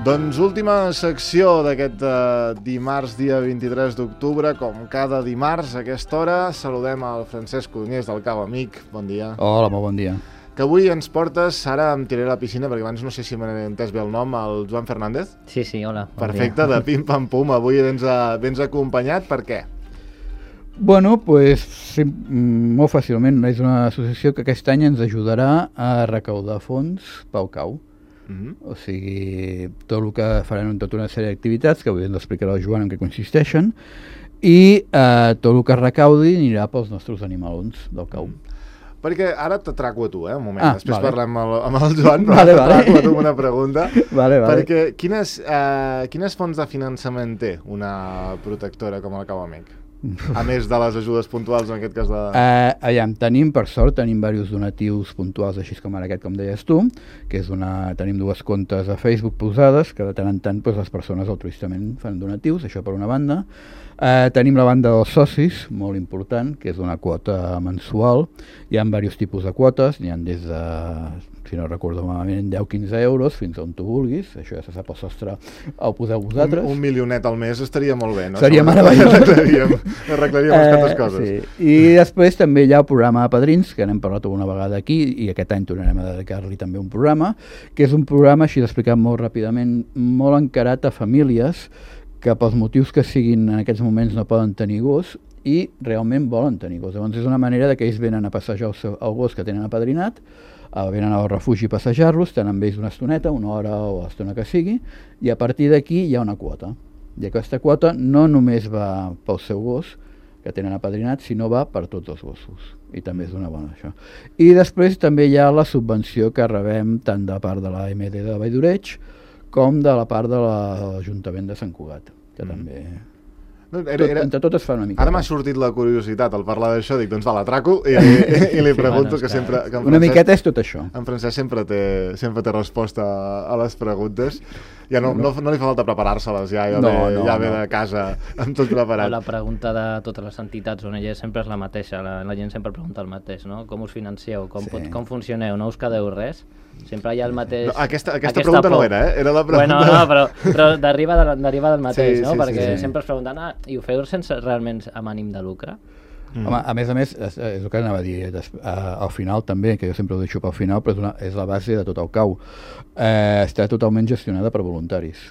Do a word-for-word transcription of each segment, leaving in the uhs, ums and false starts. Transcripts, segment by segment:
Doncs última secció d'aquest uh, dimarts, dia vint-i-tres d'octubre. Com cada dimarts a aquesta hora, saludem al Francesc Codonyés del Cau Amic. Bon dia. Hola, molt bon dia. Que avui ens portes, ara em tiraré a la piscina, perquè abans no sé si m'he entès bé el nom, el Joan Fernández. Sí, sí, hola. Bon Perfecte, dia. de Pim Pam Pum. Avui vens, a, vens acompanyat, per què? Bueno, pues, sí, molt fàcilment. És una associació que aquest any ens ajudarà a recaudar fons pel cau. Mm-hmm. O sigui, tot el que faran tota una sèrie d'activitats que avui ens explicarà el Joan en què consisteixen, i eh, tot el que recaudi anirà pels nostres animalons del cau. Perquè ara t'atraco a tu, eh, un moment. Ah, Després vale. parlem amb el, amb el Joan, però Vale, t'atraco vale. a tu una pregunta. Vale, vale. Perquè quines, eh, quines fonts de finançament té una protectora com el Cau Amic? A més de les ajudes puntuals, en aquest cas de... Eh, allà, tenim, per sort, tenim diversos donatius puntuals, així com ara aquest, com deies tu, que és una... tenim dues comptes a Facebook posades, que de tant en tant pues, les persones altruistament fan donatius, això per una banda. Eh, tenim la banda dels socis, molt important, que és una quota mensual. Hi ha diversos tipus de quotes, n'hi ha des de, si no recordo malament, deu a quinze euros, fins on tu vulguis. Això ja se sap el sostre, el poseu vosaltres. Un, un milionet al mes estaria molt bé, no? Seria meravellós. Arreglaríem, arreglaríem unes quantes coses. Eh, sí. I després també hi ha el programa de padrins, que n'hem parlat alguna vegada aquí, i aquest any tornarem a dedicar-li també un programa, que és un programa, així d'explicar molt ràpidament, molt encarat a famílies que pels motius que siguin en aquests moments no poden tenir gos i realment volen tenir gos. Llavors és una manera de que ells venen a passejar el, seu, el gos que tenen apadrinat, eh, venen al refugi a passejar-los, tenen amb ells una estoneta, una hora o l'estona que sigui, i a partir d'aquí hi ha una quota. I aquesta quota no només va pel seu gos, que tenen apadrinat, sinó va per tots els gossos. I també és una bona això. I després també hi ha la subvenció que rebem tant de part de la M D de Vall d'Oreig com de la part de l'Ajuntament de Sant Cugat, que mm. també... No, era, Tot, era... entre totes fan una mica. Ara m'ha sortit la curiositat al parlar d'això, dic, doncs va, l'atraco i, i, i li pregunto, Sí, que sempre... Que en Una Francesc, miqueta és tot això. en Francesc sempre té, sempre té resposta a les preguntes. Ja no, no, no li fa falta preparar-se-les, ja, ja, No, ve, no, ja ve no. de casa amb tot preparat. La pregunta de totes les entitats O N G sempre és la mateixa, la, la gent sempre pregunta el mateix, no? Com us financeu, com, Sí. pot, com funcioneu, no us quedeu res? Sempre hi ha el mateix... No, aquesta aquesta pregunta no era, eh? Era la pregunta... Bueno, no, però, però deriva, de, deriva del mateix, Sí, no? sí, Perquè sí, sí. sempre es pregunten, ah, i ho feu sense realment amb ànim de lucre? Mm. Home, a més a més, és, és el que anava a dir, des, uh, al final també, que jo sempre ho deixo pel final, però és, una, és la base de tot el cau. Eh, està totalment gestionada per voluntaris.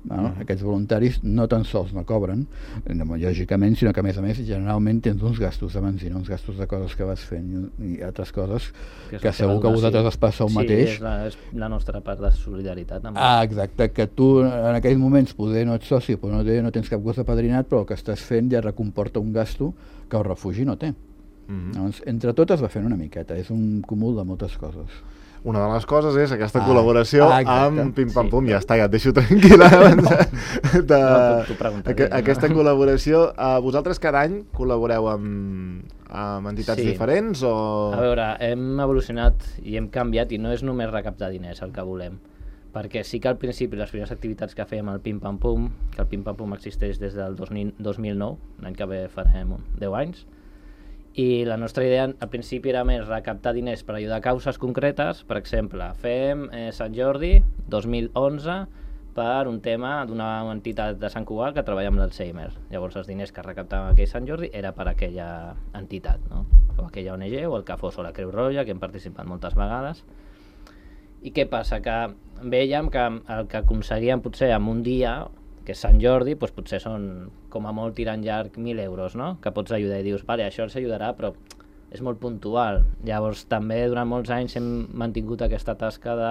Bueno, mm. Aquests voluntaris no tan sols no cobren, no, lògicament, sinó que a més a més generalment tens uns gastos de benzina, uns gastos de coses que vas fent i, i altres coses que, és que la segur que a vosaltres us passa el sí, mateix. Sí, és la, és la nostra part de solidaritat. Amb Ah, exacte, que tu en aquells moments poder no ets soci, però no, té, no tens cap gos apadrinat, però el que estàs fent ja recomporta un gasto que el refugi no té. Mm-hmm. Llavors, entre totes va fent una miqueta, és un cúmul de moltes coses. Una de les coses és aquesta Ah, col·laboració ah, exacte. amb Pim Pam Pum. Sí. Ja està, ja et deixo tranquil·la. De, de, No, tu pregunta, aqu no? aquesta col·laboració. Uh, vosaltres cada any col·laboreu amb, amb entitats Sí. diferents? O... A veure, hem evolucionat i hem canviat i no és només recaptar diners el que volem, perquè sí que al principi les primeres activitats que fèiem al Pim Pam Pum, que el Pim Pam Pum existeix des del dos mil nou, l'any que ve farem deu anys, i la nostra idea al principi era més recaptar diners per ajudar a causes concretes. Per exemple, fem eh, Sant Jordi dos mil onze per un tema d'una entitat de Sant Cugat que treballa amb l'Alzheimer. Llavors els diners que recaptàvem aquell Sant Jordi era per aquella entitat, no? O aquella O N G, o el que fos, o la Creu Roja, que hem participat moltes vegades. I què passa? Que vèiem que el que aconseguíem potser en un dia, que és Sant Jordi, doncs potser són com a molt tirant llarg mil euros, no? Que pots ajudar i dius, vale, això ens ajudarà, però és molt puntual. Llavors també durant molts anys hem mantingut aquesta tasca de,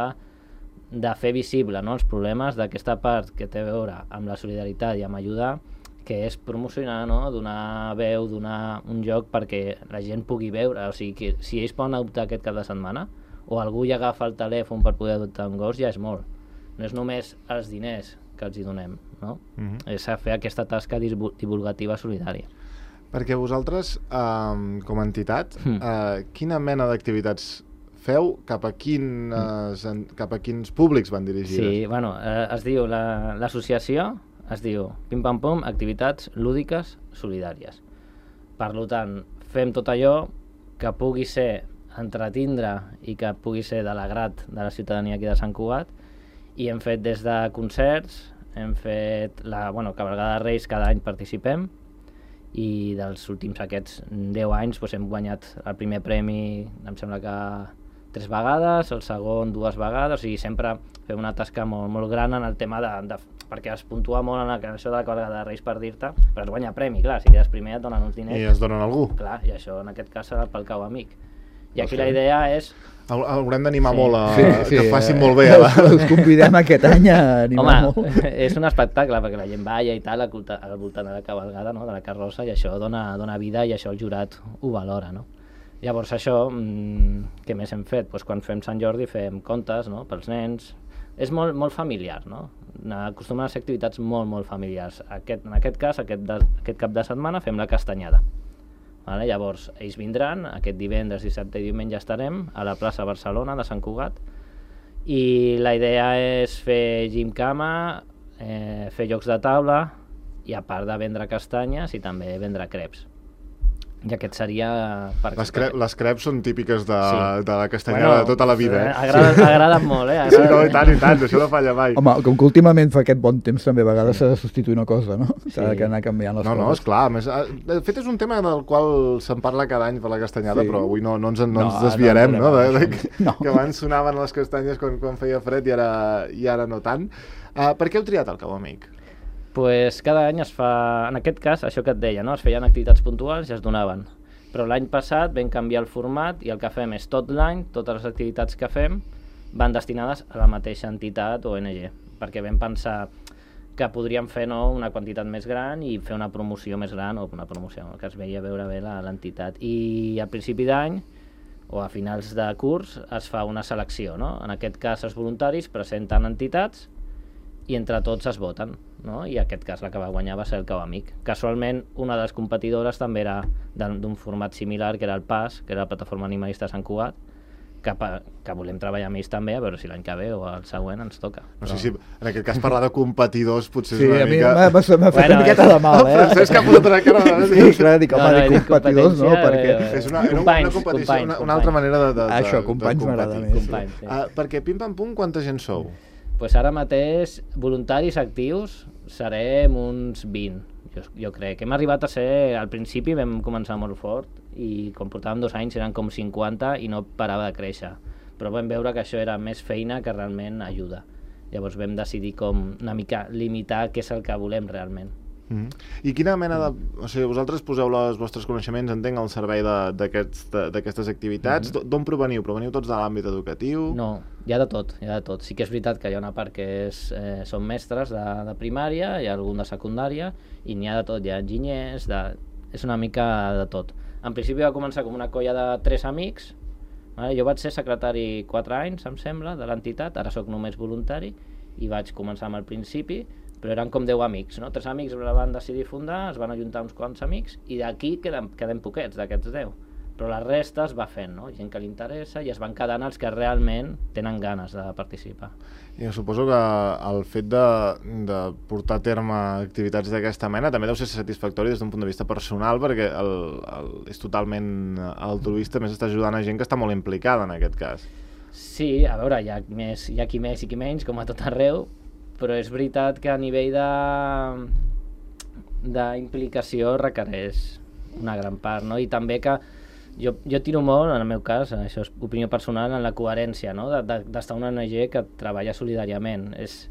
de fer visible, no, els problemes d'aquesta part que té a veure amb la solidaritat i amb ajudar, que és promocionar, no? Donar veu, donar un joc perquè la gent pugui veure. O sigui, que si ells poden adoptar aquest cap de setmana, o algú ja agafa el telèfon per poder adoptar un gos, ja és molt. No és només els diners que els hi donem, no? Mm-hmm. És a fer aquesta tasca divulgativa solidària. Perquè vosaltres, um, com a entitat, Mm. uh, quina mena d'activitats feu? Cap a, quines, mm. cap a quins públics van dirigides? Sí, bueno, eh, es diu, l'associació la, es diu Pim Pam Pum, activitats lúdiques solidàries. Per tant, fem tot allò que pugui ser entretindre i que pugui ser de l'agrat de la ciutadania aquí de Sant Cugat, I hem fet des de concerts, hem fet la bueno, cavalgada de Reis, cada any participem, i dels últims aquests deu anys doncs, hem guanyat el primer premi, em sembla que tres vegades, el segon dues vegades, i sempre fem una tasca molt, molt gran en el tema de, de perquè es puntua molt en això de la cavalgada de Reis, per dir-te, però es guanya premi, clar, si quedes primer et donen uns diners. I es donen a algú. Clar, i això en aquest cas serà pel cau amic. I aquí la idea és... Haurem d'animar sí. molt a sí, sí, que facin eh, molt bé. Us, us convidem aquest any a animar Home, molt. És un espectacle, perquè la gent balla i tal al voltant de la cavalgada, no? De la carrossa, i això dona, dona vida i això el jurat ho valora, no? Llavors això, mmm, què més hem fet? Pues quan fem Sant Jordi fem contes, no? Pels nens. És molt, molt familiar, no? Acostumen a ser activitats molt, molt familiars. Aquest, en aquest cas, aquest, de, aquest cap de setmana fem la castanyada. Vale? Llavors, ells vindran, aquest divendres, dissabte i diumenge estarem a la plaça Barcelona de Sant Cugat, i la idea és fer gimcama, eh, fer jocs de taula, i a part de vendre castanyes i també vendre creps. I aquest seria... Per les, cre les creps són típiques de, sí. de la castanyada bueno, de tota la vida, eh? Agraden, agraden molt, eh? Agraden... Sí, no, i tant, i tant, això no falla mai. Home, com que últimament fa aquest bon temps també a vegades s'ha de substituir una cosa, no? S'ha Sí. de anar canviant les no, coses. No, esclar, més, de fet és un tema del qual se'n parla cada any per la castanyada, sí. Però avui no, no, ens, no, no ens desviarem, no? no, de, de, que, no. Que abans sonaven les castanyes quan, quan feia fred i ara, i ara no tant. Uh, per què heu triat el Cau Amic? Pues cada any es fa, en aquest cas, això que et deia, no? Es feien activitats puntuals i es donaven. Però l'any passat vam canviar el format i el que fem és tot l'any, totes les activitats que fem van destinades a la mateixa entitat o O N G, perquè vam pensar que podríem fer no, una quantitat més gran i fer una promoció més gran, o una promoció que es veia veure bé l'entitat. I al principi d'any o a finals de curs es fa una selecció, no? En aquest cas els voluntaris presenten entitats i entre tots es voten, no? I en aquest cas la que va guanyar va ser el Cau Amic. Casualment, una de les competidores també era d'un format similar, que era el P A S, que era la Plataforma Animalista de Sant Cugat, que, que volem treballar amb ells també, a veure si l'any que ve o el següent ens toca. No Però... sé si en aquest cas parlar de competidors potser sí, és una mica... mica... Sí, a mi m'ha fet bueno, una miqueta de mal, eh? El Francesc ha posat una cara de... Sí, clar, dic, home, no, no, de competidors, no? Perquè... És una, una, una competició, una, una altra manera de, de, de, Això, companys m'agrada més. Companys, sí. Uh, perquè Pim Pam Pum, quanta gent sou? Pues ara mateix, voluntaris actius, serem uns vint, jo, jo crec. Hem arribat a ser, al principi vam començar molt fort, i quan portàvem dos anys eren com cinquanta i no parava de créixer. Però vam veure que això era més feina que realment ajuda. Llavors vam decidir com una mica limitar què és el que volem realment. Mm-hmm. I quina mena de... O sigui, vosaltres poseu els vostres coneixements, entenc, al servei d'aquestes activitats. Mm-hmm. D'on proveniu? Proveniu tots de l'àmbit educatiu? No, hi ha de tot, hi ha de tot. Sí que és veritat que hi ha una part que és, eh, són mestres de, de primària, hi ha algun de secundària, i n'hi ha de tot, hi ha enginyers, de... és una mica de tot. En principi va començar com una colla de tres amics, vale? Jo vaig ser secretari quatre anys, em sembla, de l'entitat, ara sóc només voluntari, i vaig començar amb el principi, però eren com deu amics, no? Tres amics la van decidir fundar, es van ajuntar uns quants amics, i d'aquí queden, queden poquets, d'aquests deu. Però la resta es va fent, no? Gent que li interessa, i es van quedant els que realment tenen ganes de participar. I suposo que el fet de, de portar a terme activitats d'aquesta mena també deu ser satisfactori des d'un punt de vista personal, perquè el, el, és totalment altruista, més està ajudant a gent que està molt implicada en aquest cas. Sí, a veure, hi ha, més, hi ha qui més i qui menys, com a tot arreu, però és veritat que a nivell d'implicació requereix una gran part, no? I també que jo, jo tiro molt, en el meu cas, això és opinió personal, en la coherència, no? D'estar de, de una O N G que treballa solidàriament. És,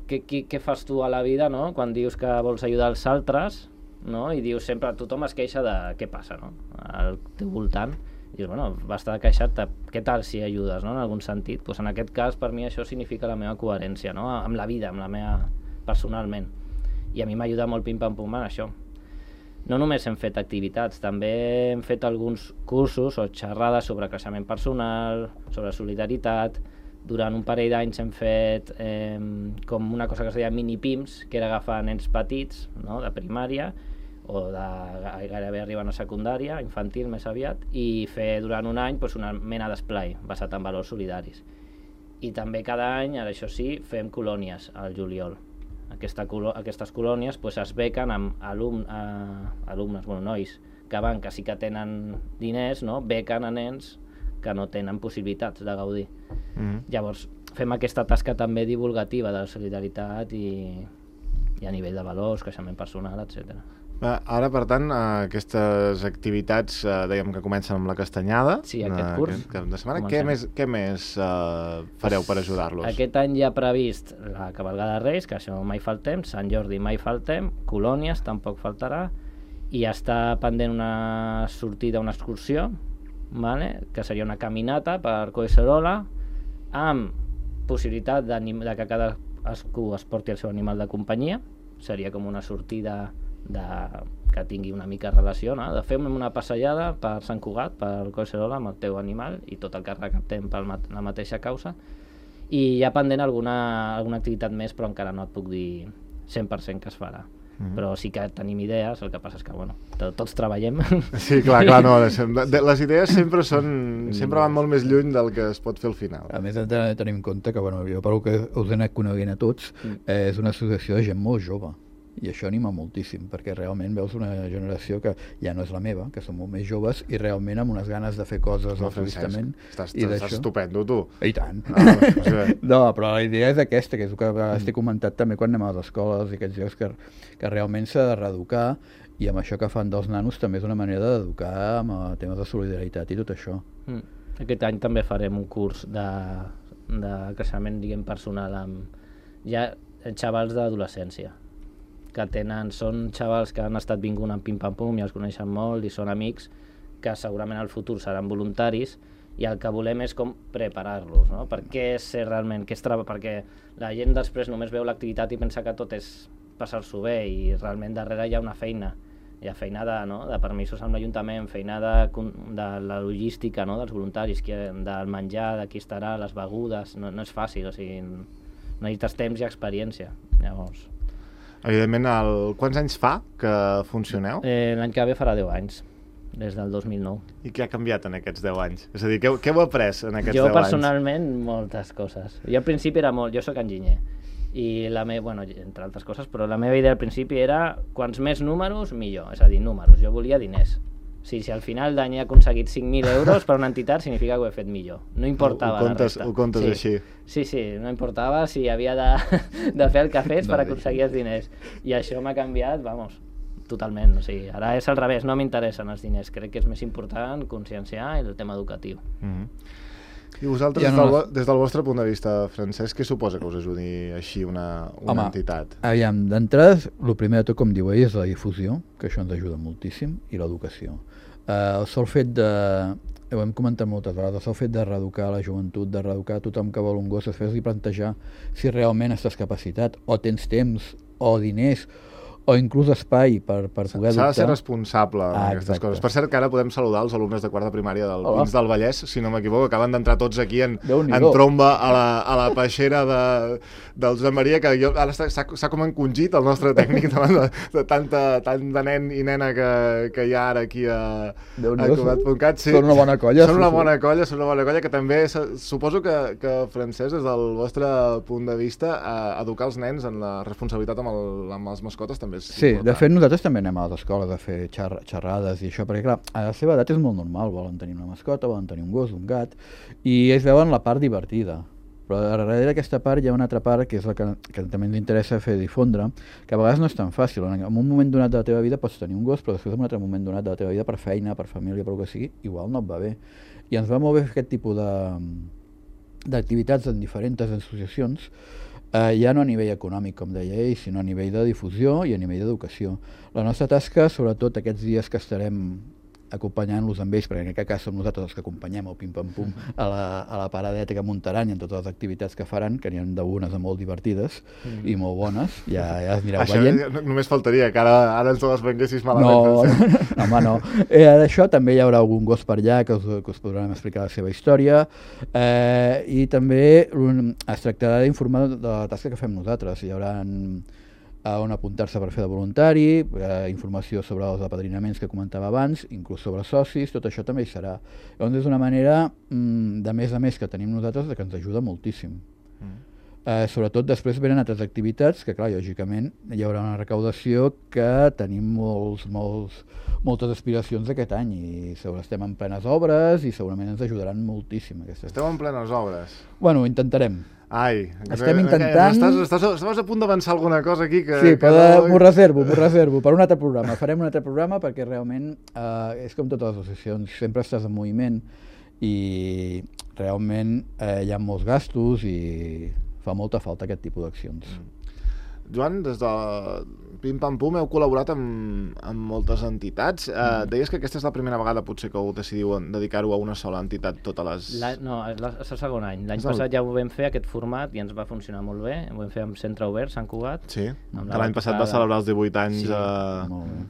què, què, què fas tu a la vida, no? Quan dius que vols ajudar els altres, no? I dius sempre, tothom es queixa de què passa, no? Al teu voltant. I dius, bueno, basta de queixar-te, què tal si ajudes, no? En algun sentit. Pues en aquest cas, per mi, això significa la meva coherència, no? Amb la vida, amb la meva... personalment. I a mi m'ajuda molt Pim Pam Pum en això. No només hem fet activitats, també hem fet alguns cursos o xerrades sobre creixement personal, sobre solidaritat. Durant un parell d'anys hem fet eh, com una cosa que es deia mini-pims, que era agafar nens petits, no? De primària, o de gairebé arribant a secundària, infantil més aviat, i fer durant un any doncs, una mena d'esplai basat en valors solidaris. I també cada any, ara això sí, fem colònies al juliol. Aquesta, aquestes colònies doncs, es bequen amb alum, eh, alumnes, bueno, nois, que van, que sí que tenen diners, no? Bequen a nens que no tenen possibilitats de gaudir. Mm-hmm. Llavors, fem aquesta tasca també divulgativa de la solidaritat i, i a nivell de valors, creixement personal, etcètera. Ara, per tant, aquestes activitats, eh, dèiem que comencen amb la castanyada. Sí, aquest curs. Que, que de setmana. Què més, què més eh, fareu per ajudar-los? Aquest any ja ha previst la cavalgada de Reis, que això mai faltem, Sant Jordi mai faltem, colònies tampoc faltarà, i està pendent una sortida, una excursió, vale? Que seria una caminata per Collserola, amb possibilitat de que cadascú es porti el seu animal de companyia. Seria com una sortida de, que tingui una mica relació, no? De fer una passejada per Sant Cugat, per Collserola, amb el teu animal i tot el que recaptem per la mateixa causa, i hi ha pendent alguna, alguna activitat més, però encara no et puc dir cent per cent que es farà. Mm-hmm. Però sí que tenim idees, el que passa és que bueno, tots treballem. Sí, clar, clar, no, les idees sempre són sempre van molt més lluny del que es pot fer al final. A més, hem de tenir en compte que, bueno, jo pel que us he anat coneguent a tots, eh, és una associació de gent molt jove, i això anima moltíssim, perquè realment veus una generació que ja no és la meva, que són molt més joves i realment amb unes ganes de fer coses no, altruistament. Estàs, estàs estupendo, tu. I tant. Ah, o sigui... No, però la idea és aquesta, que és el que mm. t'he comentat també quan anem a les escoles i aquests llocs, que, que realment s'ha de reeducar, i amb això que fan dels nanos també és una manera d'educar amb temes de solidaritat i tot això. Mm. Aquest any també farem un curs de, de creixement, diguem, personal amb ja xavals d'adolescència, que tenen, són xavals que han estat vingunt amb pim-pam-pum i els coneixen molt i són amics que segurament al futur seran voluntaris, i el que volem és com preparar-los, no? Per què és ser realment, què és treba, perquè la gent després només veu l'activitat i pensa que tot és passar-s'ho bé, i realment darrere hi ha una feina, hi ha feina de, no? de permisos amb l'Ajuntament, feina de, de la logística, no? dels voluntaris, que, del menjar, de qui estarà, les begudes, no, no és fàcil, o sigui, necessites temps i experiència. Llavors... Evidentment, el... quants anys fa que funcioneu? Eh, L'any que ve farà deu anys, des del dos mil nou. I què ha canviat en aquests deu anys? És a dir, què, què heu après en aquests jo, deu anys? Jo personalment, moltes coses. Jo al principi era molt... Jo sóc enginyer, i la meva, bueno, entre altres coses, però la meva idea al principi era quants més números, millor. És a dir, números. Jo volia diners. O sigui, si al final d'any he aconseguit cinc mil euros per una entitat, significa que ho he fet millor. No importava ho, ho comptes, la resta. Ho comptes sí. així. Sí, sí, no importava si havia de, de fer el que fes per aconseguir els diners. I això m'ha canviat, vamos, totalment. O sigui, ara és al revés, no m'interessen els diners. Crec que és més important conscienciar el tema educatiu. Mm-hmm. I vosaltres, ja no... des, del, des del vostre punt de vista, Francesc, què suposa que us ajudi així una, una Home, entitat? Aviam, d'entrada, el primer de tot, com diu ell, és la difusió, que això ens ajuda moltíssim, i l'educació. Uh, el sol fet de... Ho hem comentat moltes vegades, el sol fet de reeducar la joventut, de reeducar tothom que vol un gos, després li plantejar si realment estàs capacitat, o tens temps, o diners, o inclús espai per, per poder adoptar. S'ha de ser responsable en ah, aquestes exacte. coses. Per cert, que ara podem saludar els alumnes de quart de primària del Hola. Pins del Vallès, si no m'equivoco, acaben d'entrar tots aquí en, en tromba a la, a la peixera de, del Josep Maria, que jo, ara s'ha com encongit el nostre tècnic davant de, de tanta, tant de nen i nena que, que hi ha ara aquí a, a Cugat punt cat. Sí, són una bona colla. Són una bona colla, són una bona colla, que també suposo que, que Francesc, des del vostre punt de vista, eh, educar els nens en la responsabilitat amb, el, amb les mascotes també és sí, important. De fet, nosaltres també anem a les escoles a fer xer xerrades i això, perquè clar, a la seva edat és molt normal, volen tenir una mascota, volen tenir un gos, un gat, i ells veuen la part divertida. Però darrere d'aquesta part hi ha una altra part que és la que, que també ens interessa fer difondre, que a vegades no és tan fàcil. En un moment donat de la teva vida pots tenir un gos, però després en un altre moment donat de la teva vida, per feina, per família, per el que sigui, igual no et va bé. I ens va molt bé fer aquest tipus d'activitats en diferents associacions, Uh, ja no a nivell econòmic, com deia ell, sinó a nivell de difusió i a nivell d'educació. La nostra tasca, sobretot aquests dies que estarem acompanyant-los amb ells, perquè en aquest cas som nosaltres els que acompanyem el pim-pam-pum a la, a la paradeta que muntaran i en totes les activitats que faran, que n'hi ha d'unes molt divertides mm. i molt bones, ja, ja es anireu això veient. Això només faltaria, que ara, ara ens les venguessis malament. No, no, no, home, no. Eh, d'això també hi haurà algun gos per allà que us, que us podran explicar la seva història, eh, i també es tractarà d'informar de la tasca que fem nosaltres. Hi haurà on apuntar-se per fer de voluntari, eh, informació sobre els apadrinaments que comentava abans, inclús sobre socis, tot això també hi serà. Llavors és una manera, mm, de més a més que tenim nosaltres, de que ens ajuda moltíssim. Mm. Eh, sobretot després venen altres activitats que, clar, lògicament hi haurà una recaudació que tenim molts, molts, moltes aspiracions aquest any i sobre estem en plenes obres i segurament ens ajudaran moltíssim. Aquestes. Esteu en plenes obres. Bueno, intentarem. Ai, estem intentant... Estàs, estàs, estàs a punt d'avançar alguna cosa aquí que... Sí, que no... m'ho no... reservo, m'ho reservo per un altre programa. Farem un altre programa perquè realment eh, és com totes les associacions, sempre estàs en moviment i realment eh, hi ha molts gastos i fa molta falta aquest tipus d'accions. Mm. Joan, des de Pim Pam Pum heu col·laborat amb, amb moltes entitats. Mm. Uh, deies que aquesta és la primera vegada potser que heu decidiu dedicar-ho a una sola entitat totes les... La, no, és, la, és el segon any. L'any passat ja ho vam fer, aquest format, i ens va funcionar molt bé. Ho vam fer amb Centre Obert, Sant Cugat. Sí, que l'any passat va celebrar els divuit anys. Sí, uh... molt bé.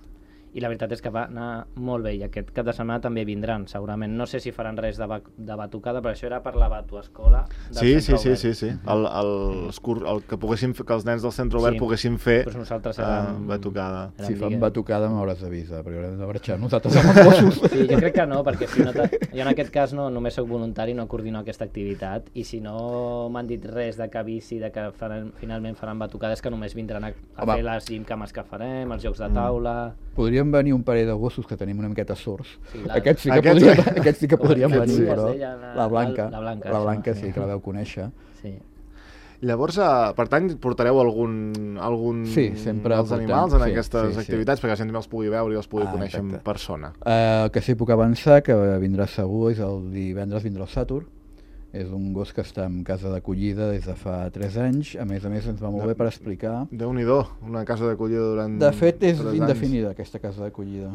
I la veritat és que va anar molt bé, i aquest cap de setmana també vindran, segurament. No sé si faran res de, ba de batucada, però això era per la Batu Escola del sí, Centre sí, Obert. sí, sí, sí. El, el, el, el, que, poguéssim, que els nens del Centre Obert sí. poguessin fer pues nosaltres érem, uh, batucada. Si fan batucada m'hauràs d'avisar, perquè haurem de marxar nosaltres amb els gossos. Sí, jo crec que no, perquè si no jo en aquest cas no, només soc voluntari, no coordino aquesta activitat, i si no m'han dit res de que avisi, de que faran, finalment faran batucades, que només vindran a, a fer les gimcames que farem, els jocs de taula... Mm. Podríem venir un parell de gossos que tenim una miqueta sords. Sí, la... Aquests sí que Aquests... podrien, aquests sí que podrien venir, sí, però la, la Blanca, la Blanca, la Blanca sí, sí, que la veu conèixer. Sí. Llavors, per tant, portareu algun, algun sí, sempre dels animals en sí, aquestes sí, activitats, sí. perquè la gent també els pugui veure i els pugui ah, conèixer exacte. en persona. El uh, que sí puc avançar, que vindrà segur, és el divendres vindrà el Satur. És un gos que està en casa d'acollida des de fa tres anys. A més a més, ens va molt bé per explicar... Déu-n'hi-do, una casa d'acollida durant De fet, és tres indefinida, anys. aquesta casa d'acollida.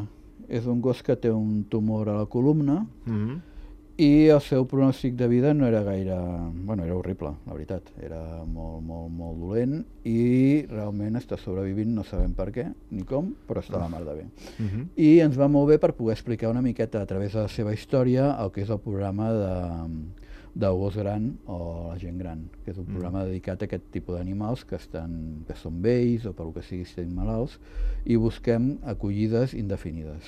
És un gos que té un tumor a la columna mm-hmm. i el seu pronòstic de vida no era gaire... Bueno, era horrible, la veritat. Era molt, molt, molt dolent i realment està sobrevivint, no sabem per què ni com, però està la mar de bé. Mm-hmm. I ens va molt bé per poder explicar una miqueta a través de la seva història el que és el programa de... del gos gran o la gent gran, que és un programa mm. dedicat a aquest tipus d'animals que, estan, que són vells o per el que sigui estan malalts, i busquem acollides indefinides.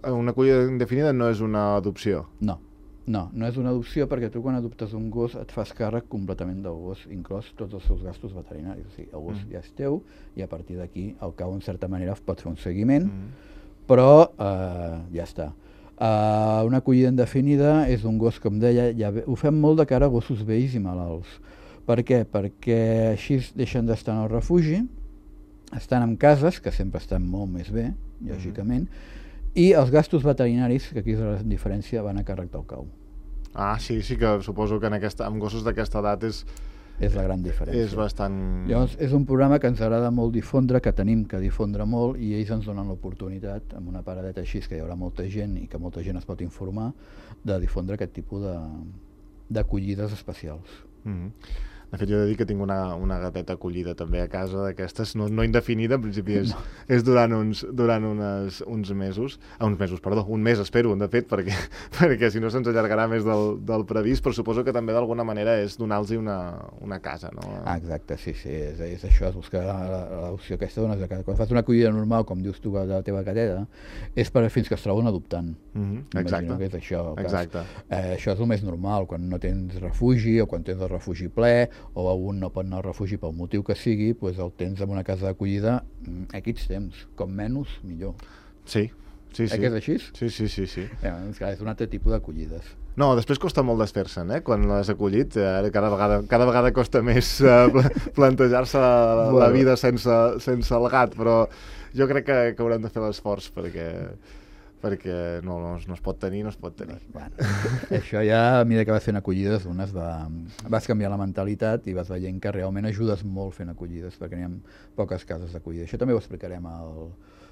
Una acollida indefinida no és una adopció? No, no, no és una adopció perquè tu quan adoptes un gos et fas càrrec completament del gos, inclòs tots els seus gastos veterinaris. O sigui, el gos mm. ja és teu i a partir d'aquí, al cabo, en certa manera, pots fer un seguiment, mm. però eh, ja està. Uh, una acollida indefinida és un gos, com deia, ja ho fem molt de cara a gossos vells i malalts. Per què? Perquè així deixen d'estar en el refugi, estan en cases, que sempre estan molt més bé, lògicament, mm-hmm. i els gastos veterinaris, que aquí és la diferència, van a càrrec del cau. Ah, sí, sí que suposo que en aquesta, amb gossos d'aquesta edat és... És la gran diferència. És bastant... Llavors, és un programa que ens agrada molt difondre, que tenim que difondre molt, i ells ens donen l'oportunitat, amb una paradeta així, que hi haurà molta gent i que molta gent es pot informar, de difondre aquest tipus d'acollides especials. Mm-hmm. De fet, jo he de dir que tinc una, una gateta acollida també a casa d'aquestes, no, no indefinida, en principi és, no. és durant, uns, durant unes, uns mesos, ah, uns mesos, perdó, un mes espero, de fet, perquè, perquè si no se'ns allargarà més del, del previst, però suposo que també d'alguna manera és donar-los una, una casa, no? Ah, exacte, sí, sí, és, és això, és buscar l'opció aquesta dones de casa. Quan fas una acollida normal, com dius tu, de la teva gateta, és per fins que es troben adoptant. Mm-hmm. Exacte. Que és això, Exacte. Eh, això és el més normal, quan no tens refugi o quan tens el refugi ple, o algun no pot anar al refugi pel motiu que sigui, doncs el tens en una casa d'acollida aquests temps, com menys, millor. Sí, sí, sí. Eh que és així? Sí, sí, sí. sí. Eh, doncs, clar, és un altre tipus d'acollides. No, després costa molt desfer-se'n, eh? Quan l'has acollit, eh? cada, vegada, cada vegada costa més eh, plantejar-se la, la vida sense, sense el gat, però jo crec que, que haurem de fer l'esforç perquè... perquè no, no, no es pot tenir, no es pot tenir. Bueno, això ja, a mesura que vas fent acollides, unes va, vas canviar la mentalitat i vas veient que realment ajudes molt fent acollides, perquè n'hi ha poques cases d'acollida. Això també ho explicarem el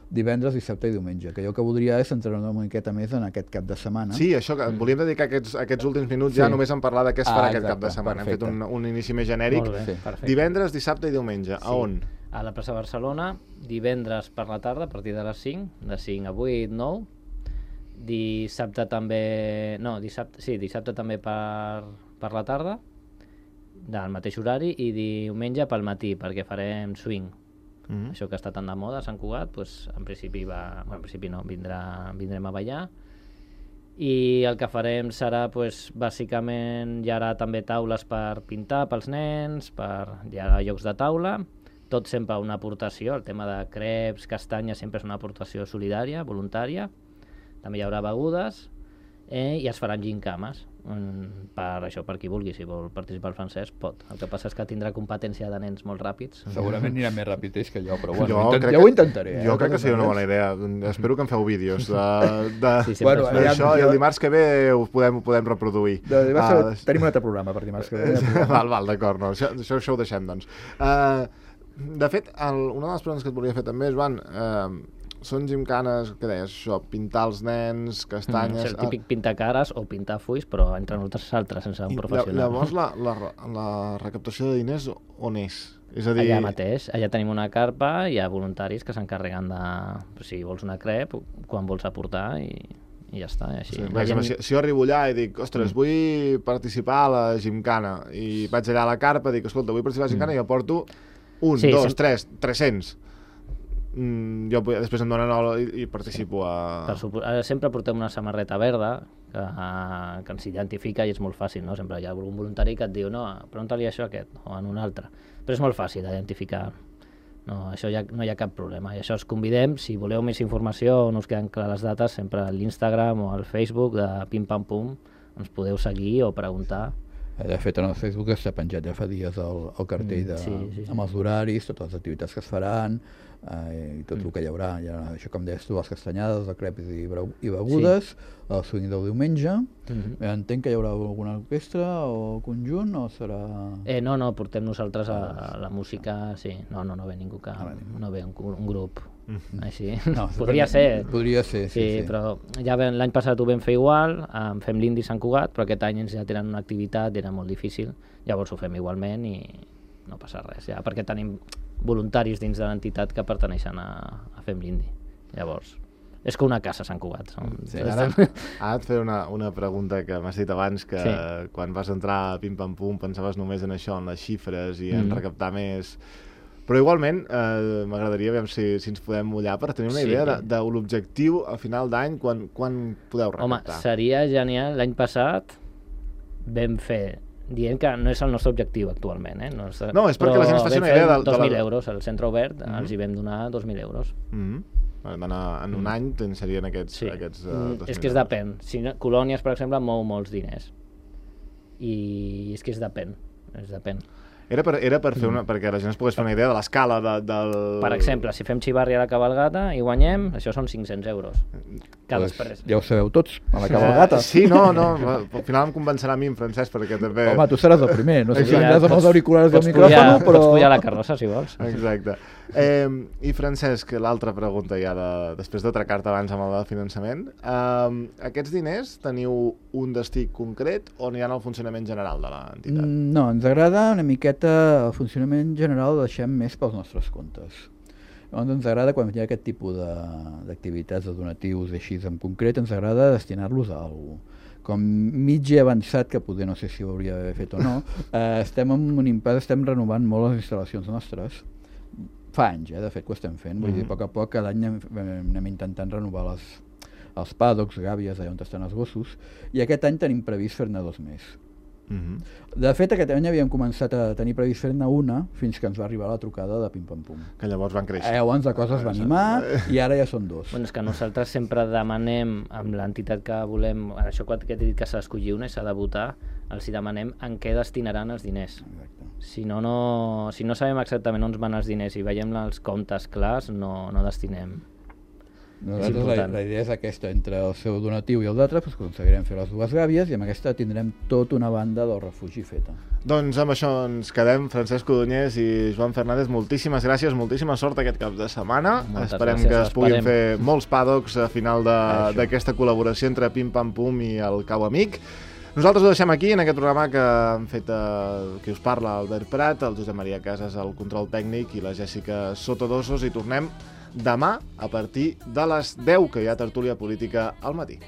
divendres, dissabte i diumenge, que jo que voldria és centrar una miqueta més en aquest cap de setmana. Sí, això, que volíem dedicar aquests, aquests últims minuts sí. ja només en parlar de què es farà ah, aquest cap de setmana. Perfecte. Hem fet un, un inici més genèric. Sí. Divendres, dissabte i diumenge. Sí. A on? A la plaça Barcelona, divendres per la tarda, a partir de les cinc, de cinc a vuit, nou. Dissabte també... No, dissabte, sí, dissabte també per, per la tarda, del mateix horari, i diumenge pel matí, perquè farem swing. Mm-hmm. Això que està tan de moda a Sant Cugat, doncs, en principi va... Bueno, en principi no, vindrà, vindrem a ballar. i el que farem serà, pues, bàsicament, hi haurà també taules per pintar pels nens, per, hi haurà llocs de taula, tot sempre una aportació, el tema de creps, castanyes, sempre és una aportació solidària, voluntària, també hi haurà begudes, eh, i es faran gincames, per això, per qui vulgui, si vol participar el Francesc, pot. El que passa és que tindrà competència de nens molt ràpids. Segurament anirà més ràpid ells que jo, però bueno, jo intent, ja ho intentaré. Eh? Jo crec que seria una bona idea. Espero que em feu vídeos de, de, sí, bueno, d'això, i el dimarts que ve ho podem, ho podem reproduir. De, uh, tenim un altre programa per dimarts que ve. val, val, d'acord, no, això, això, això ho deixem, doncs. Uh, de fet, el, una de les preguntes que et volia fer també és, Joan, uh, són gimcanes, què deies, això, pintar els nens, castanyes... Mm, és el típic pintar cares o pintar fulls, però entre nosaltres altres, sense un professional. Llavors, la, la, la recaptació de diners on és? És a dir... Allà mateix, allà tenim una carpa, hi ha voluntaris que s'encarreguen de... Si vols una crep, quan vols aportar, i, i ja està. I així. Sí, gent... si, si jo arribo allà i dic, ostres, mm. vull participar a la gimcana, i vaig allà a la carpa i dic, escolta, vull participar a la gimcana, mm. i aporto un, sí, dos, sí. tres, tres-cents. Mm, jo després em donen el, i, i participo a... Per sempre portem una samarreta verda que, que ens identifica i és molt fàcil, no? Sempre hi ha algun voluntari que et diu no, pregunta-li això a aquest o en un altre, però és molt fàcil d'identificar, no, això ja, no hi ha cap problema, i això us convidem, si voleu més informació o no us queden clares les dates, sempre a l'Instagram o al Facebook de Pim Pam Pum ens podeu seguir o preguntar. De fet, en el Facebook està penjat ja fa dies el, el cartell de, sí, sí, sí. amb els horaris, totes les activitats que es faran, eh, i tot mm. el que hi haurà. Hi ha, això, com deies tu, les castanyades, els crepes i, i begudes, sí. el swing del diumenge. Mm-hmm. Entenc que hi haurà alguna orquestra o conjunt, o serà... Eh, no, no, portem nosaltres a, a la música, sí. No, no, no ve ningú que... No, no ve un, un grup. Mm-hmm. Així. No, podria ser. Podria ser, sí, sí, sí. Però ja l'any passat ho vam fer igual, em fem l'Indi Sant Cugat, però aquest any ens ja tenen una activitat, era molt difícil, llavors ho fem igualment i no passa res, ja, perquè tenim voluntaris dins de l'entitat que perteneixen a, a Fem l'Indi. Llavors, és que una casa Sant Cugat. Som... Sí, ara, ara et fer una, una pregunta que m'has dit abans, que sí. quan vas entrar a Pim Pam Pum pensaves només en això, en les xifres i en mm. recaptar més... Però igualment, eh, m'agradaria veure si, si ens podem mullar per tenir una idea sí. de, de l'objectiu a final d'any, quan, quan podeu recaptar. Home, seria genial. L'any passat vam fer, dient que no és el nostre objectiu actualment, eh? No, és, no, és perquè la gent es faci una idea de... dos mil euros, al centre obert, mm-hmm. els hi vam donar dos mil euros. Mm-hmm. En, en un mm. any serien aquests, sí. aquests uh, dos mil euros. És que es depèn. Si no, Colònies, per exemple, mou molts diners. I és que es depèn. Es depèn. Era per, era per fer una, perquè la gent es pogués fer una idea de l'escala de, del... Per exemple, si fem xivarri a la cabalgata i guanyem, això són cinc-cents euros. Cada pues, després. Ja ho sabeu tots, a la cabalgata. Sí, no, no, al final em convencerà a mi, en Francesc, perquè també... Home, tu seràs el primer, no sé si aniràs amb els auriculars del micròfon, però... Pots pujar la carrossa, si vols. Exacte. Eh, I Francesc, l'altra pregunta ja, de, després d'atracar-te abans amb el de finançament, eh, aquests diners teniu un destí concret o aniran al funcionament general de l'entitat? No, ens agrada una miqueta el funcionament general, el deixem més pels nostres comptes. Llavors ens agrada, quan hi ha aquest tipus d'activitats, de, de donatius així en concret, ens agrada destinar-los a alguna cosa. Com mig avançat, que poder no sé si ho hauria d'haver fet o no, eh, estem en un impàs, estem renovant molt les instal·lacions nostres. Fa anys, eh, de fet, que ho estem fent. Vull mm-hmm. dir, a poc a poc, cada any anem, anem intentant renovar les, els paddocks, gàbies, allà on estan els gossos, i aquest any tenim previst fer-ne dos més. Mm-hmm. De fet, aquest any havíem començat a tenir previst fer-ne una fins que ens va arribar la trucada de Pim Pam Pum. Que llavors van créixer. Eh, llavors la cosa es va animar i ara ja són dos. Bueno, és que nosaltres sempre demanem amb l'entitat que volem, això que he dit que s'ha d'escollir una i s'ha de votar, els hi demanem en què destinaran els diners. Exacte. Si no, no, si no sabem exactament on van els diners i veiem els comptes clars, no, no destinem. Nosaltres la, la idea és aquesta, entre el seu donatiu i el d'altre, doncs aconseguirem fer les dues gàbies i amb aquesta tindrem tota una banda del refugi feta. Doncs amb això ens quedem. Francesc Codonyés i Joan Fernández, moltíssimes gràcies, moltíssima sort aquest cap de setmana. Moltes Esperem gràcies, que es puguin fer molts paddocks a final d'aquesta col·laboració entre Pim Pam Pum i el Cau Amic. Nosaltres ho deixem aquí, en aquest programa que han fet eh, qui us parla, Albert Prat, el Josep Maria Casas, el control tècnic, i la Jèssica Sotodosos, i tornem demà a partir de les deu, que hi ha tertúlia política al matí.